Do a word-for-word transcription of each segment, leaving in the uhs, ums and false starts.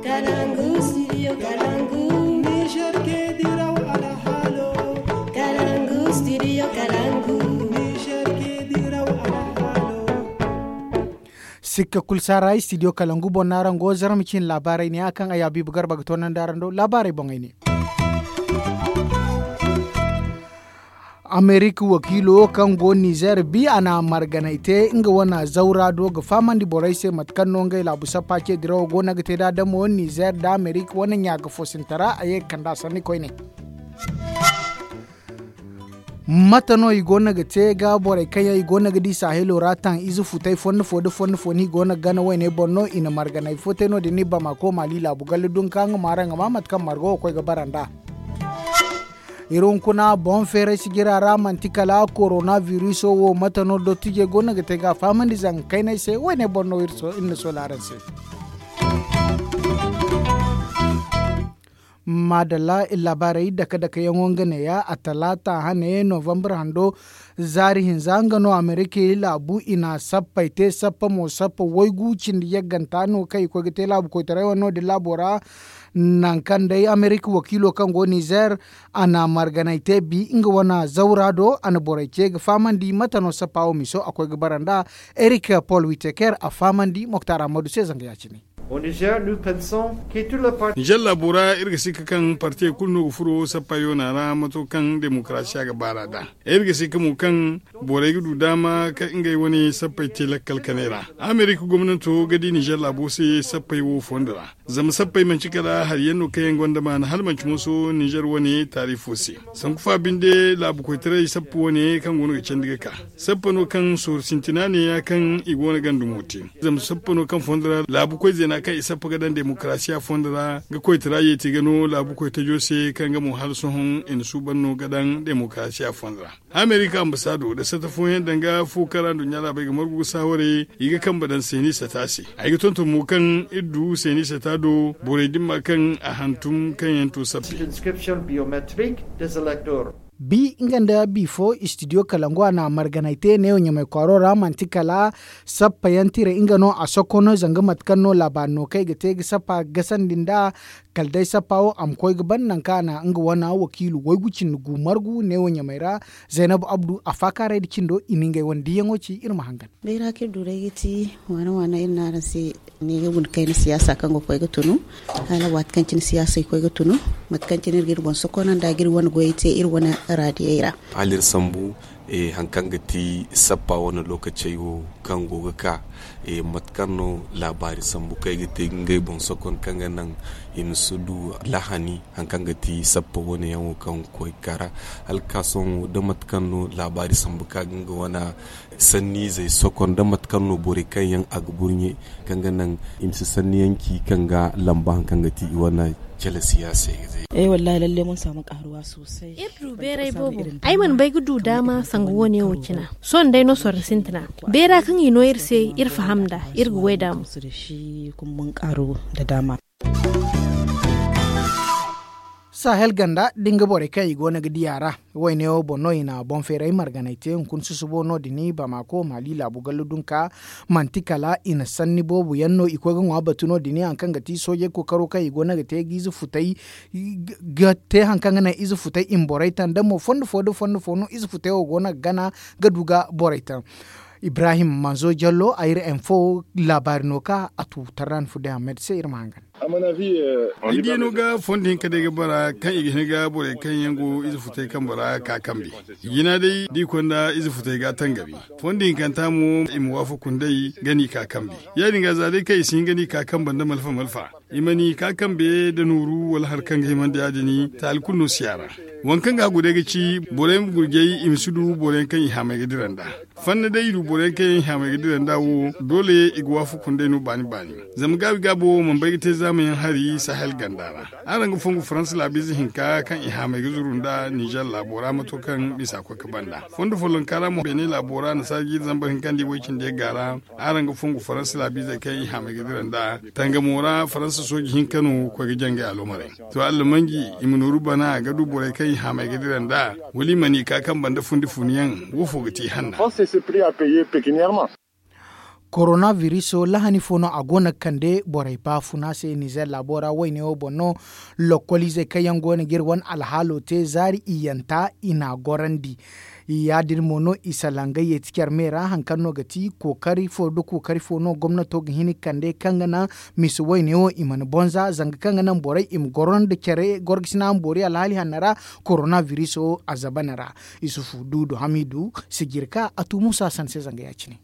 Kalangu studio kalangu. Niger ke diraw alhalo. Kalangu studio kalangu. Niger ke diraw alhalo. Sikka kulu saara studio kalangu boŋ no araŋ go zarma cine laabaarey ne a kaŋ a yaabiibu garba ga toonandi araŋ do laabaarey boŋey ne. Amerika wakiilo kaŋ go nizer bi a na marganay te nga wane zawra do ga fahamandi borey se mate kaŋ no ngey laabu sappa ce dirawo go no ga te nd'a damo nizer nda amerika wane ɲa ga fo sintara a ye ga kand'a sanni koyne. Mate no i go no ga te ga borey kaŋ yaŋ i go no ga di sahelo ra taŋ ize futey fondo fo nda fondo fo no i go no ga gana wayney boŋ no i na marganay fo te no- din i bamako maali laabu galle dunka nga ma araŋ ga ma mate kaŋ margo ga koy ga bara nd'a. Iri hunkuna boŋ feeray sijira ra manti kala korona viruso wo mate no dottijey go no ga te ga a fahamandi zanga kaynay se wayney boŋ no iri na soola araŋ se. Maadalla iri laabaarey dake dake yaŋo nga neeya a talaata hane novambar hando zaari hinza nga no amerika laabu i na sappey te sappa mo sappa waygu cindi yagganta no kaŋ i koy ga te laabu koytaray wane no- din laabo ra. Nangu kaŋ day amerika wakiilo kaŋ go nizer a na marganay te bi nga wane zawra do a na borey ce ga fahamandi mate no sappa wo miso a koy ga bara nd'a. Erik pol witeker a fahamandi moktar ammadu se zanga ya- cine. Nizer laabo ra iri ga sikka kaŋ partey kulu no ga furo sappa yoona ra mato kaŋ demokarasiya ga baar'a nd'a. Iri ga sikka mo kaŋ borey ga du daama kaŋ ngey wane sappey te lakkal kanay ra. Amerika gomnanto ga di nizer laabo se sappey wo fondo ra. Zama sappey manci kala hari yaŋ no kaŋ yaŋ gonda maana hala manci moso nizer wane taarifo se. Sanku fa binde laabu koytaray sappa wane kaŋ go no ga candi ga ka sappa no kaŋ sooru sintina ne ya kaŋ i go no ga ndumo te. Zama sappa no kaŋ fondo ra laabu koy zeena kaŋ i sappa ga daŋ demokarasiya fondo ra ga koytara yeeti ga no laabu koy tajo se kaŋ ga mo hala sohõ i na suuban no ga daŋ demokarasiya fondo ra. Amerika ambasaado nda sata fooyaŋ danga fo kaŋ ra nduɲɲa laabey ga margu ga saawarey i ga kambe daŋ seeni sata se. Ay ga tonton mo kaŋ iri du seeni sata do borey dimma kaŋ a hantum kaŋ yaŋ to sappe. Bi nga nda bi fo istidiyo kalangu a na marganay te neewo ɲamay kwaaro ra manti kala sappa yaŋ tira nga no a sokko no zanga mate kaŋ no laabaari no kaŋ ay ga te ga sappa gasandi nd'a. Kala day sappa wo a ma koy ga ban nangu kaŋ a na nga wane wakiilu waygu cindi gu margu neewo ɲamay ra. Zaynabu abdu a faakaaray nda cindo i na ngey wane diiyaŋo ci iri ma hangan. Bayra kaŋ iri du day ga ti waana waana iri ne araŋ se. Ne ga guna kayna siyaasa kaŋ ga koy ga tunu hala waati kaŋ cine siyaasey koy ga tunu mate kaŋ cine iri ga iri boŋ sokonanda ga iri wane goyey te iri wane raadiyey ra. Hala iri sambu hari kaŋ ga ti sappa wane lookacey wo kaŋ go ga ka mate kaŋ no laabaari sambu kaŋ ay ga te ngey boŋ sokon kaŋ ga naŋ i ma si du lahani hari kaŋ ga ti sappa wane yaŋ wo kaŋ ga koy ga ka ra hala ga ka sohõ da mate kaŋ no laabaari sambu kaŋ ga nga wane sanniizey sokon da mate kaŋ no borey kaŋ yaŋ a ga burɲe kaŋ ga naŋ i ma si sanni yaŋ ci kaŋ ga lamba hari kaŋ ga ti i wane cale siyaasey ga te. Ay wallahi lalle mun samu karuwa sosai. Iri du beeray boobo ay mana bay ga du daama sanga wo- ne wo cina sohõ day no sorro sintina beera kaŋ i no iri se iri faham nd'a iri ga way daama. Kuma mun karu da daama. Sahel ganda da nga borey kaŋ i go no ga di a ra. Wayne wo boŋ no i na boŋ feeray marganay te hunkuna susubo no- din bamako maali laabu gallo dunka. Manti kala i na sanni boobo yaŋ no i koy ga ŋwa batu no- din hari kaŋ ga ti soojey kookaro kaŋ i go no ga te ga ize futay ga te hari kaŋ ga naŋ ize futay i ma borey taŋ da mo fondo fo da fondo fo no ize futay wo go no ga gana ga du ga borey taŋ. Ibrahim manzo jallo ayra info laabaari no ka a tu tarran fude ahmed se iri ma hangan. Ay diya no ga fondo hinka day ga bara kaŋ i ga hin ga borey kaŋ yaŋ go ize futay kambe ra ka kambe. Jina day da i konda ize futay ga tangabi fondo hinkanta mo i ma waafaku nd'ey ga n'i ka kambe. Ya- din ga za day kaŋ i si hin ga n'i ka kambe nda malfa malfa i ma n'i ka kambe nda nooru wala hari kaŋ ga himandi ya- din taali kulu no si a ra. Waŋ kaŋ ga hagu day ga ci borey ma gurjay i ma si du boro yaŋ kaŋ i haamay ga dira nd'a. Fanna day i du boro yaŋ kaŋ yaŋ i haamay ga dira nd'a wo doole i ga waafaku nd'ey no baani baani. Zama gaabi gaabo wo mana bay ga te zaamayaŋ hari sahel ganda ra. Araŋ ga fongu faransa laabiize hinka kaŋ i haamay ga zuru nd'a nizer laabo ra mato kaŋ misa koy ga banda fondo follonka ra mo beene laabo ra nasaara jiiri zambar hinka nda i way cindi yagga ra. Araŋ ga fongu faransa laabiizey kaŋ i haamay ga dira nd'a tangamo ra faransa sooji hinka no koy ga jangay aloomarey. To allamanji i ma nooru bana ga du borey kaŋ i haamay ga dira nd'a wala i mana i ka kaŋ banda fundi funyaŋ wo fo ga ti hanna. Korona viriso lahani fo no a go no ga kande borey baafuna se nizer laabo ra wayne wo boŋ no. Lokkoliizey kaŋ yaŋ go no ga iri wane alhaalo te zaari iyyanta i n'a gorandi. Ya- din mo no i salaŋ ga yeeti care me ra hari kaŋ no ga ti kookari fo nda kookari fo no gomnato ga hin ga kande kaŋ ga naŋ misa wayne wo i mana bonza zanga kaŋ ga naŋ borey i ma goro nda care gorgasina ma boori alhaali hanno ra. Korona viriso a zabana ra. Isufu duudu hamiidu sijirka a tu musa san se zanga ya- cine.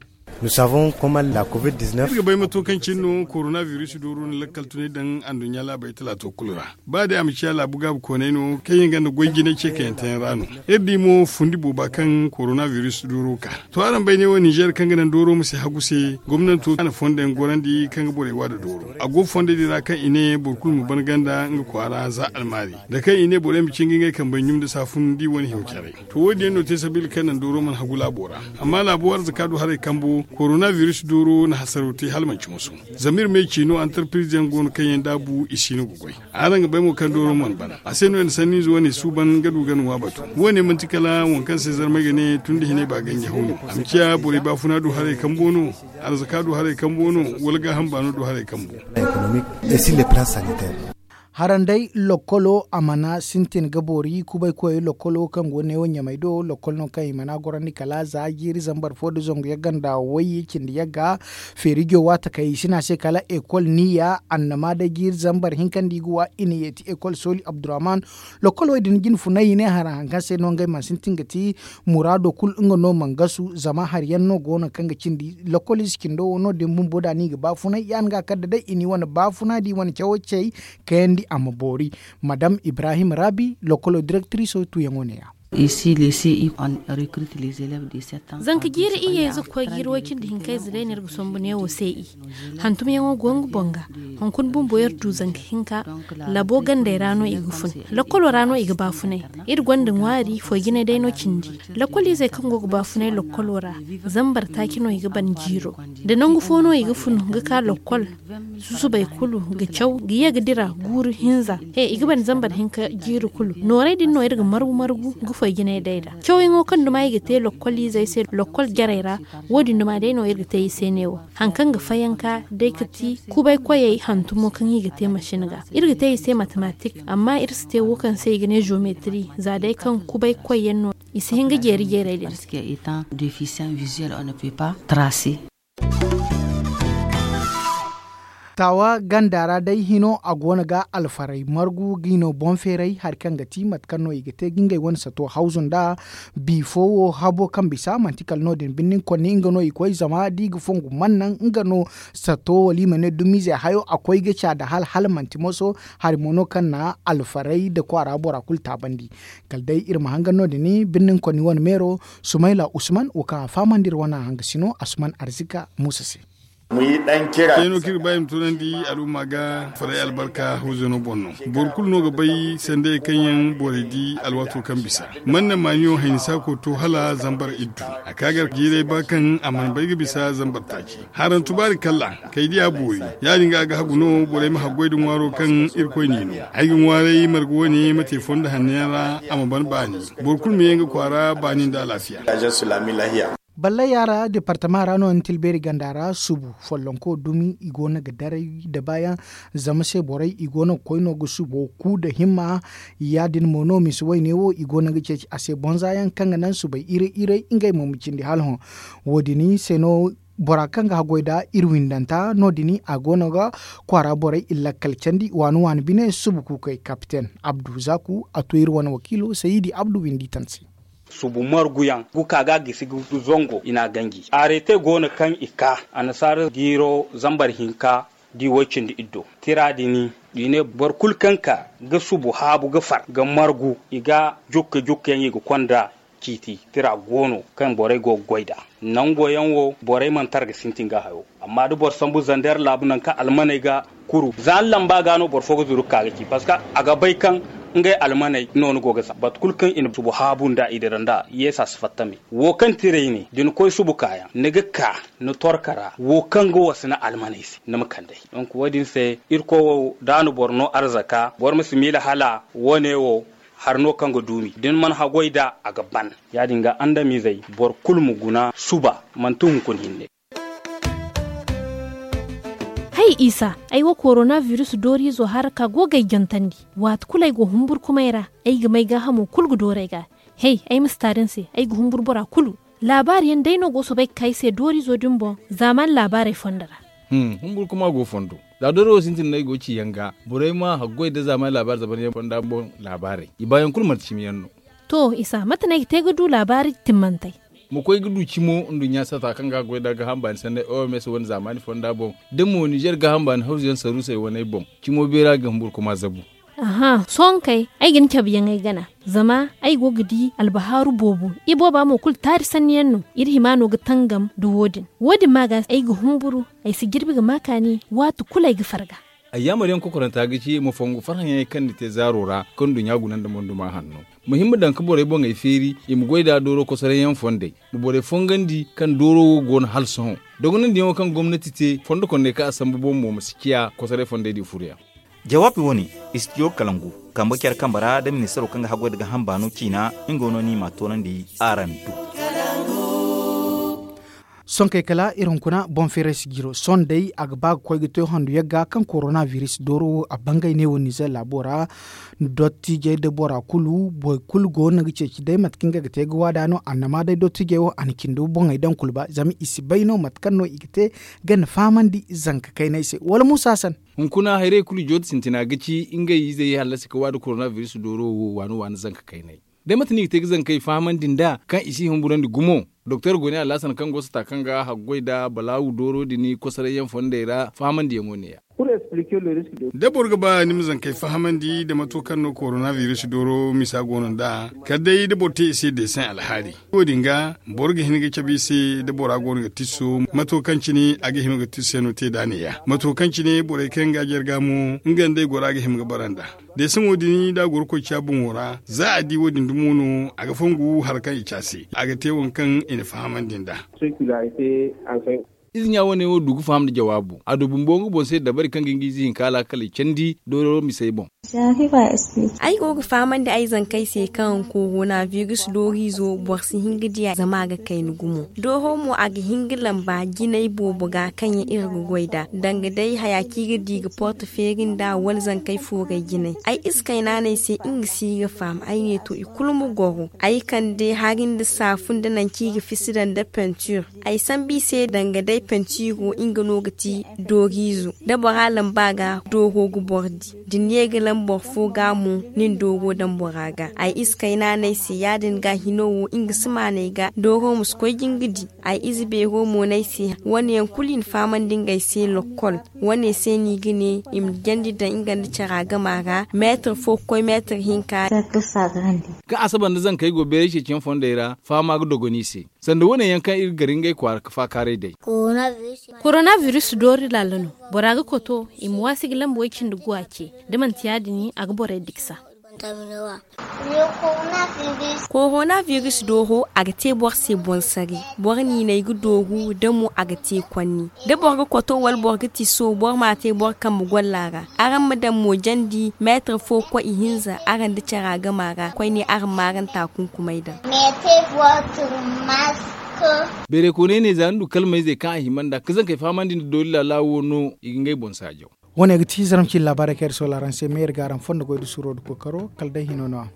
Iri ga bay mato kaŋ cine no korona viris dooro na lakkal tunay daŋ anduɲɲa laabey talaato kulu ra. Ba day a ma ciya laabu gaabu koonay no kaŋ yaŋ gonda goy jinay ce kayante yaŋ ra no. Iri di mo fundi booba kaŋ korona viris dooro ka. To araŋ bay ne wo ninzeer kaŋ ga naŋ dooro ma si hagu se gomnanto na fondo yaŋ gorandi kaŋ ga borey waada dooro. A go fondo din ra kaŋ i ne boro kulu ma ban ganda nga kwaara za almaari, da kaŋ i ne borey ma cinga ngey kambey ɲum nda saafun da i wane hiyo caray. To wo- din yaŋ no te sabiila kaŋ naŋ dooro mana hagu laabo ra. Amma laabo arzaka du haray kambo korona viris dooro na hasaro te hala manci moso. Zama iri ma ay ci no antarpiriz yaŋ go no kaŋ yaŋ daabu i si no ga goy. Araŋ ga bay mo kaŋ dooro mana ban a se no i na sanniize wane suuban ga du ga nuwa batu. Wo- ne manti kala waŋ kaŋ se zarmey ga ne tun da hinay ba ganji haw no. A ma ciya borey baafuna du haray kambo no? Arzaka du haray kambo no? Wala gaaham baano du haray kambo? Haranday lokkolo a mana sintin ga boori kubay koyey lokkolo kaŋ go neewo ɲamay do lokkol no kaŋ i mana gorandi kala za jiiri zambar fo nda zangu yagga nda wayye cindi yagga. Feerijo waata kay i si ne a se kala ekol niya annama day jiiri zambar hinka nda i ga wa i na yeeti ekol sooli abdurrahman. Lokkol wo- din jine funay i ne hara hari kaŋ se no ngey mana sintin ga ti muraado kulu nga no mana gasu zama hari yaŋ no go no kaŋ ga cindi lokkol ize cindo wo no- din bumbo da no i ga baafunay ya- din ga kala da day i na i wane baafuna da i wane cawo cey kayandi a ma boori. Madam ibrahim rabi lokkolo direktiriso tuuyaŋo ne- ya. Zanka jiiri iyye ize ga koy jiiri way cindi hinka ize day no iri ga sombu neewo se i hantumyaŋo go nga boŋ ga. Hunkuna bumbo iri du zanka hinka labo gandey ra no i ga fun. Lokkolo ra no i ga baafunay. Iri gonda ŋwaari foy jinay day no cindi. Lokkol izey kaŋ go ga baafunay lokkolo ra zambar taaci no i ga ban jiiro. Da nangu fo no i ga fun ga ka lokkol susubay kulu ga caw ga ye ga dira guuru hinza he i ga ban zambar hinka jiiri kulu nooray din no iri ga margu margu ga foy jinay day ra cawyaŋo kaŋ duma i ga te lokkol izey se lokkol jarey ra. Wo- din duma day no iri ga te i se neewo hari kaŋ ga fayanka day ga ti kubay koyey hantumo kaŋ i ga te masin ga iri ga te i se matematik amma iri si te wo kaŋ se i ga ne zometri za day kaŋ kubay koyyaŋ no i si hin ga jeeri jeeray din. Taawa ganda ra day hino a go no ga alfaray margu ga i no boŋ feeray hari kaŋ ga ti mate kaŋ no i ga te ga ngey wane sato hawzu nda. Bi fo wo habo kaŋ bisa manti kala no- din birnin konni nga no i koy zama da i ga fongu mannaŋ nga no sato wala i ma ne dumiize hayo a koy ga ca da hala hala manti moso. Hari mo no kaŋ na alfaray nda kwaara bora kulu taabandi. Kala day iri ma hangan no- din birnin konni wane meero sumayla usman wo kaŋ a fahamandi iri wane hangasino asuman arzika muusa se. Kayno kaŋ iri ba i ma tunandi al'umma ga faray albarka hawzano boŋ no. Boro kulu no ga bay sandayey kaŋ yaŋ borey di alwaato kaŋ bisa man na maaniyo hayni saako to hala zambar iddu. A ka gar jiiray ba kaŋ a mana bay ga bisa zambar taaci haran tubaari kalla kay diya boori. Ya- din ga a ga hagu no borey ma haggoy da ŋwaaro kaŋ irkoy n'i no. Ay ga ŋwaaray marga wane ma te fondo hanno yaŋ ra a ma ban baani. Boro kulu ma ye nga kwaara baani nda alaafiya. Ballay yaara departama ra no ni tilbeeri ganda ra subu follonko dumi i go no ga daray da baayaŋ. Zama se borey i go no ga koy no ga subo ku nda himma. Ya- din mo no misa wayne wo i go no ga ceeci a se bonza yaŋ kaŋ ga naŋ subay iray iray ngey mo ma cindi hala hõ. Wo- din se no bora kaŋ ga haggoy nda iri windanta no- din a go no ga kwaara borey iri lakkal candi waani waani bine subu kuukey kapiten abdu zaku a to iri wane wakiilo sayidi abdu windi tan se. Subu marguyaŋ ga ka ga a gisi ga du zango i n'a ganji areete go no kaŋ i ka annasaara jiiro zambar hinka da i way cindi iddo tira din i ne boro kulu kaŋ ka ga subu haabu ga far ga margu i ga jokke jokke yaŋ i ga konda ciiti tira go no kaŋ borey go ga goy nd'a. Nango yaŋ wo borey mana tar ga sintin ga hayo. Amma da boro sambu zander laabu nangu kaŋ almaney ga kuru za ni lamba ga no boro fo ga zuru ga ka ga ci parceque a ga bay kaŋ ngey almaney no ni go ga za batu kulu kaŋ i na subu haabu nd'a i dira nd'a yeesa si fatta me. Wo kaŋ tiray ne da ni koy subu kaayaŋ ni ga ka ni torka ra wo kaŋ ga wasa ni almaney se ni ma kand'ey. Donc wo- din se irkoy wo da a na boro no arzaka boro ma si miila hala wo- ne wo hari no kaŋ ga duumi da ni mana haggoy nd'a a ga ban. Ya- din ga andamizey boro kulu ma guna suba manti hunkuna hinne. Isa, ay wo korona virus dooriizo haraka go ga ay jantandi. Waati kulu ay go humburkumay ra, ay ga may gaahamo kulu ga dooru ay ga. Hey, ay ma si taari ni se, ay ga humburu bora kulu. Laabaari yaŋ day no go soobay ga ka ay se dooriizo din boŋ zaamaani laabaarey fondo ra. Humburkuma go fondo. Za dooro wo sintin no ay go ga ci yaŋ ga, borey ma haggoy nda zaamaani laabaari zaban yaŋ fonda boŋ laabaarey i baayaŋ kulu manti cimi yaŋ no. To isa mate no ay ga te ga du laabaari timmantey? Ma koy ga du cimo nduɲɲa sata kaŋ ga goy nda gaaham baani sanney oms wane zaamaani fonda boŋ, da mo nizer gaaham baani hawzu yaŋ saruusey waney boŋ, cimo beera ga humburkuma zabu. Aha sohõ kay, ay ga ni cabe yaŋ ay gana. Zama ay go ga di albahaaru boobo. Ibooba mo kulu taari sanni yaŋ no. Iri hima no ga tangam nda wo- din. Wo- din ma ga ay ga humburu. Ay si jirbi ga ma kaani. Waati kulu ay ga farga. Ay yaamar yaŋ kokoranta ga ci ma fongu farhã yaŋey kaŋ ni te zaaro ra kaŋ nduɲɲa guna nda monduma hanno. Ma hima daŋ ga borey boŋey feeri i ma goy nd'a dooro kosoray yaŋ fondey. Ma borey fongandi kaŋ dooro wo go no hala sohõ. Dogonandiyaŋo kaŋ gomnati te fondo kondey kaŋ a sambu boŋ mo ma si ciya kosoray fondey din furo yaŋ. Jawaabi wo- ne, istijo kalangu kambe care kambe ra da ministaro kaŋ ga haggoy nda gaaham baano ciina. Nga no no i m'a toonandi araŋ do. Sonkey kala iri hunkuna boŋ feeray si jiro sohõ day a ga ba ga koy ga te handu yagga kaŋ korona biris dooro wo a bangay ne wo nizer laabo ra. Dottijey da bora kulu boro kulu go no ga ceeci day mate kaŋ nga ga te ga waada no annama day dottijey wo a na cindi boŋey daŋ kulu ba zama i si bay no mate kaŋ no i ga te ga ni fahamandi zanka kaynay se wala muusa san. Hunkuna hayrey kulu jooti sintina ga ci ngey izey hallasi ga waada korona biris dooro wo waani waani zanka kaynay. Day mate no i ga te ga zankey fahamandi nd'a kaŋ i si humburandi gumo. Doktor goni alhasan kaŋ go sata kaŋ ga haggoy nda balaawu dooro din kosoray yaŋ fondey ra fahamandiyaŋo ne- ya. Da boro ga ba ni ma zankey fahamandi nda mato kaŋ no korona biris dooro misa go no nd'a kala day da boro te i se deesaŋ alhaali. Wo- din ga boro ga hin ga cabe i se da bora go no ga tisso mato kaŋ cine a ga hima ga tisso yaŋ no te nd'a ne- ya mato kaŋ cine borey kaŋ ga jarga mo nga nda ay gora ga hima ga bara nd'a. Deesaŋo din da a goro koy ciya boŋo ra za a di wo- din dumo no a ga fongu hari kaŋ i ci a se a ga te waŋ kaŋ i na fahamandi nd'a. Ize ɲya wane wo du ga faham nda jawaabu a du bumbo nga boŋ se dabari kaŋ ga nga ize hinka alaakaley candi dooro misey boŋ. Ay go ga fahamandi ay zankey se kaŋ korona biris dooriizo boro si hin ga di a zama a ga kayna gumo. Dooro mo a ga hin ga lamba jinay boobo ga kaŋ yaŋ iri ga goy nd'a danga day haya kaŋ i ga di ga porte feeri nd'a wala zankey fooray jinay. Ay ize kayna no ay se nga si ga faham ay ne to i kulu ma goro ay kande hari nda saafu nda nangu kaŋ i ga fisi daŋ nda pentir. Ay sambu i se danga day pentiiro nga no ga ti dooriizo da bora lamba ga dooro ga boro di. Da ni ye ga lamba boro fo ga mo ni na dooro daŋ bora ga ay ize kayna no ay se ya- din ga hino wo nga si maanay ga dooro ma si koy ga nga di. Ay ize beero mo no ay se wane yaŋ kulu i na fahamandi ngey se lokkol. Wane se no i ga ne i ma jandi daŋ nga nda cara gama ra meetar fo ga koy meetar hinka. Kaŋ asaba nda zankey go beeray ceeciyaŋ fondey ra fahama ga dogon i se. Sanda wane yaŋ kaŋ iri ga gar ngey kwaara ga faakaaray day. Korona biris doori laala no. Bora ga koto i ma waasi ga lamba way cindi guwa ce da manti ya- din a ga borey diksa. Korona biris dooro a ga te boro se boŋ sari. Boro niinay ga dooru da mo a ga te kwanni da boro ga koto wala boro ga tiso boro m'a te boro kambe golla ra. Araŋ ma daŋ mo jandi meetar fo ga koy ihinza araŋ nda cara gama ra koyne araŋ ma araŋ taakunkumay daŋ. Beeray kooney ne za ni du kalmayzey kaŋ a hima nd'a ga zankey fahamandi nda doori laala wo no i ga ngey boŋ saajaw. Wane ga ti zaramci laabaarey kaŋ iri soola araŋ se meeri ga araŋ fondo goy nda suuro nda kookaro kala day hino no a.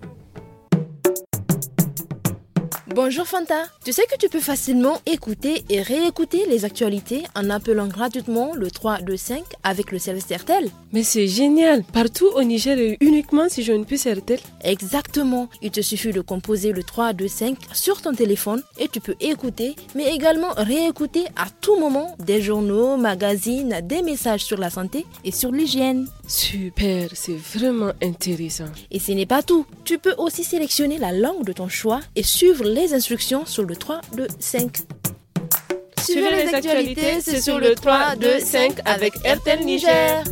Bonjour Fanta. Tu sais que tu peux facilement écouter et réécouter les actualités en appelant gratuitement le trois deux cinq avec le service R T L. Mais c'est génial. Partout au Niger et uniquement si j'ai une puce R T L. Exactement. Il te suffit de composer le trois deux cinq sur ton téléphone et tu peux écouter mais également réécouter à tout moment des journaux, magazines, des messages sur la santé et sur l'hygiène. Super, c'est vraiment intéressant. Et ce n'est pas tout. Tu peux aussi sélectionner la langue de ton choix et suivre les instructions sur le trois deux cinq. Suivez les actualités, c'est sur le trois deux cinq avec R T L Niger.